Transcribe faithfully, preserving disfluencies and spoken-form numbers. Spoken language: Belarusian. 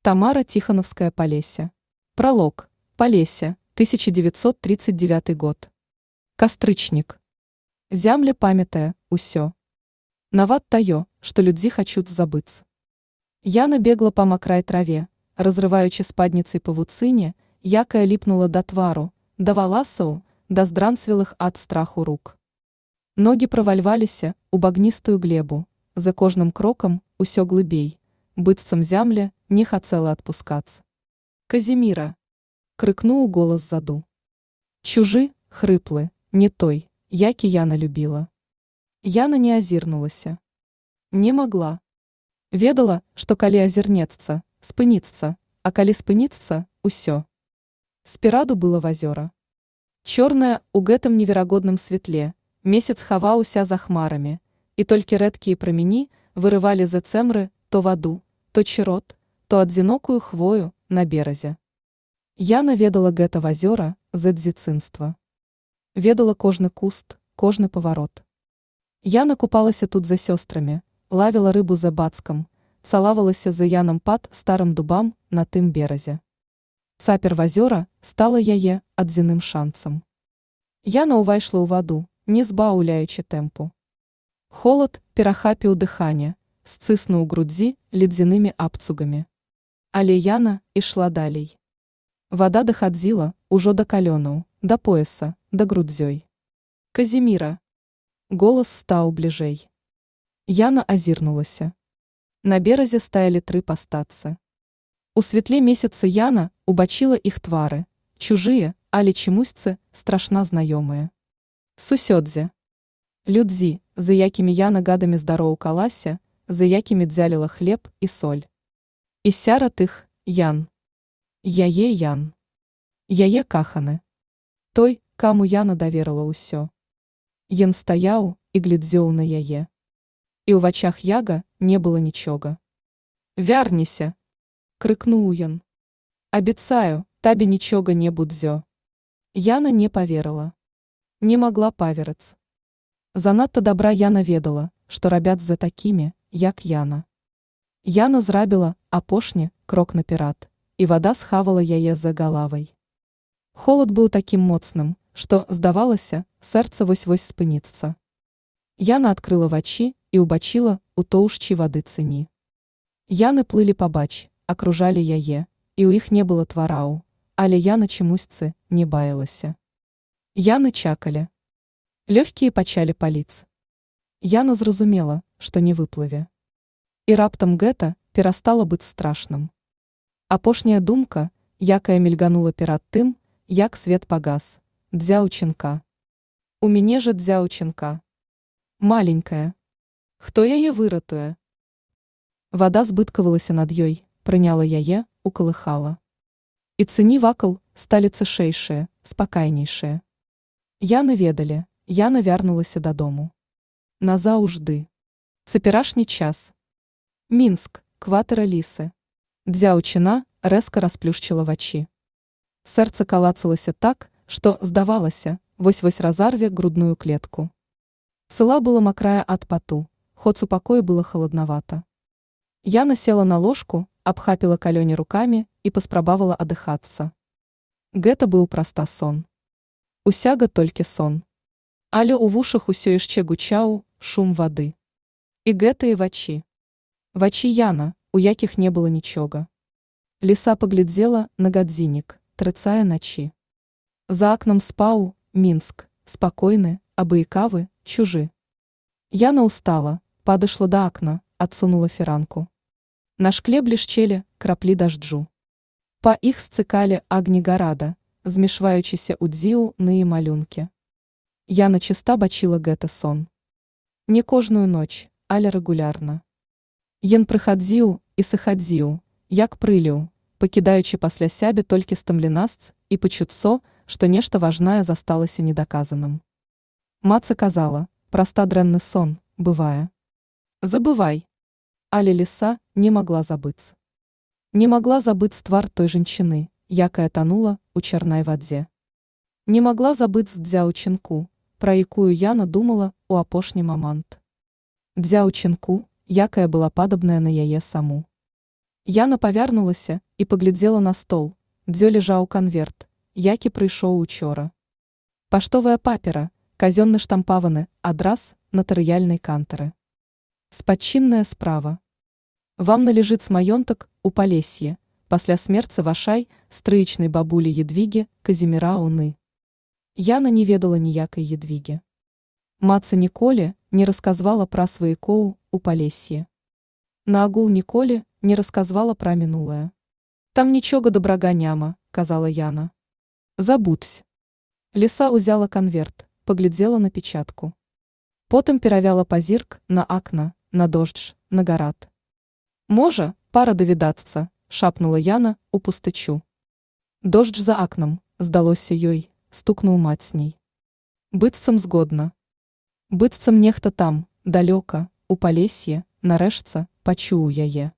Тамара Тихоновская Полесье. Пролог. Полесье, тысяча девятьсот тридцать девятый год. Кастрычник. Зямля памятая, усё. Нават таю, что людзі хачуць забыцца. Яна бегла па макрай траве, разрываючы спадніцай павуцыне, якая ліпнула да твару, да валасаў, да здранцвелых ад страху рук. Ногі правальваліся у багністую глебу, за кожным крокам усё глыбей, быццам зямля не хацела адпускацца. Казіміра! Крыкнуў голас ззаду. Чужы, хрыплы, не той, які Яна любіла. Яна не азірнулася. Не магла. Ведала, што калі азірнецца, спыніцца, а калі спыніцца, усё. Спераду было вазёра. Чорнае у гэтым неверагодным святле, месяц хаваўся за хмарамі, і толькі рэдкія прамені вырывалі за цэмры то ваду, то чырот, то адзінокую хвою на беразе. Яна ведала гэта вазёра з дзяцінства. Ведала кожны куст, кожны паварот. Яна купалася тут за сёстрамі, лавіла рыбу за бацкам, цалавалася за Янам пад старым дубам на тым беразе. Цапер вазёра стала яе адзіным шанцам. Яна ўвайшла ў ваду, не збаўляючы тэмпу. Холад перахапіў дыханне, сціснуў грудзі ледзянымі абцугамі. Але Яна ішла далей. Вада дахадзіла ўжо да калёнаў, да пояса, да грудзёй. Казіміра! Голас стаў бліжэй. Яна азірнулася. На беразе стаялі тры пастацы. У святле месяца Яна убачыла іх твары, чужыя, але чамусьці страшна знаёмыя. Сусёдзе. Людзі, за якімі Яна гадамі здароўкалася, за якімі дзяліла хлеб і соль. І сярод іх Ян. Яе Ян. Яе каханы. Той, каму Яна даверыла ўсё. Ён стаяў і глядзеў на яе. І ў вачах яга не было нічога. «Вярніся!» – крыкнуў ён. «Абяцаю, табе нічога не будзе». Яна не паверыла. Не магла паверыць. Занадта добра Яна ведала, што рабяць за такімі, як Яна. Яна зрабіла апошні крок наперад, і вада схавала яе за галавай. Холад быў такім моцным, што, здавалася, сэрца вось-вось спыніцца. Яна адкрыла вачі і ўбачыла у тоўшчы вады цыні. Яны плылі пабач, акружалі яе, і ў іх не было твараў, але Яна чамусьці не баялася. Яны чакалі. Лёгкія пачалі паліць. Яна зразумела, што не выплыве. І раптам гэта перастала быць страшным. Апошняя думка, якая мільганула перад тым, як свет пагас, дзяўчынка. У мяне жа дзяўчынка. Маленькая. Хто яе выратуе? Вада збыткавалася над ёй, прыняла яе, укалыхала. І цыні вакол сталі цішэйшыя, спакайнейшыя. Яны ведалі, Яна вярнулася дадому. Назаўжды. Цяперашні час. Мінск, кватэра Лісы. Дзяўчына рэзка расплюшчыла вачі. Сэрца калацалася так, што, здавалася, вось-вось разарве грудную клетку. Цыла была макрая ад пату, хоць у пакоі было халаднавата. Яна села на ложку, абхапіла калёні рукамі і паспрабавала адыхацца. Гэта быў проста сон. Усяга толькі сон. Але ў вушах усё яшчэ гучаў шум вады. І гэтыя вачі. Вачі Яна, у якіх не было нічога. Ліса паглядзела на гадзіннік, трыцае начі. За акнам спаў Мінск, спакойны, абыякавы, чужы. Яна ўстала, падышла да акна, адсунула фіранку. На шкле блішчэлі краплі дажджу. Па іх сцыкалі агні гарада, змешваючыся ў дзіў ныя малюнкі. Яна чыста бачыла гэта сон. Не кожную ноч, але рэгулярна. Ён прыхадзіў і сыхадзіў, як прыліў, пакідаючы пасля сябе толькі стамленасць і пачуццо, што нешта важнае засталася недаказаным. Маца казала, проста дрэнны сон, бывае. Забывай. Але ліса не магла забыць. Не магла забыць твар той жанчыны, якая танула ў чарнай вадзе. Не магла забыць дзяўчынку, пра якую Яна думала ў апошні момант. Дзяўчынку, якая была падобная на яе саму. Яна павярнулася і паглядзела на стол, дзе ляжаў канверт, які прыйшоў учора. Паштовая папера, казённы штампаваны адрас натарыяльнай кантары. Спадчынная справа. Вам належыць маёнтак у Палесье, пасля смерці вашай стрыечнай бабулі Едвігі Казіміраўны. Яна не ведала ніякай Едвігі. Маца ніколі не расказвала пра сваякоў у Палесье. Наагул ніколі не расказвала пра мінулае. Там нічога добрага няма, казала Яна. Забудзь. Ліса ўзяла канверт, паглядзела на печатку. Потым перавяла пазірк на акна, на дождж, на гарад. Можа, пара давідацца, шапнула Яна у пустачу. Дождж за акнам, здалося ёй, стукнуў мацней. Быццам згодна. Быццам нехта там, далёка, у Палесье, нарэшце, пачуў яе.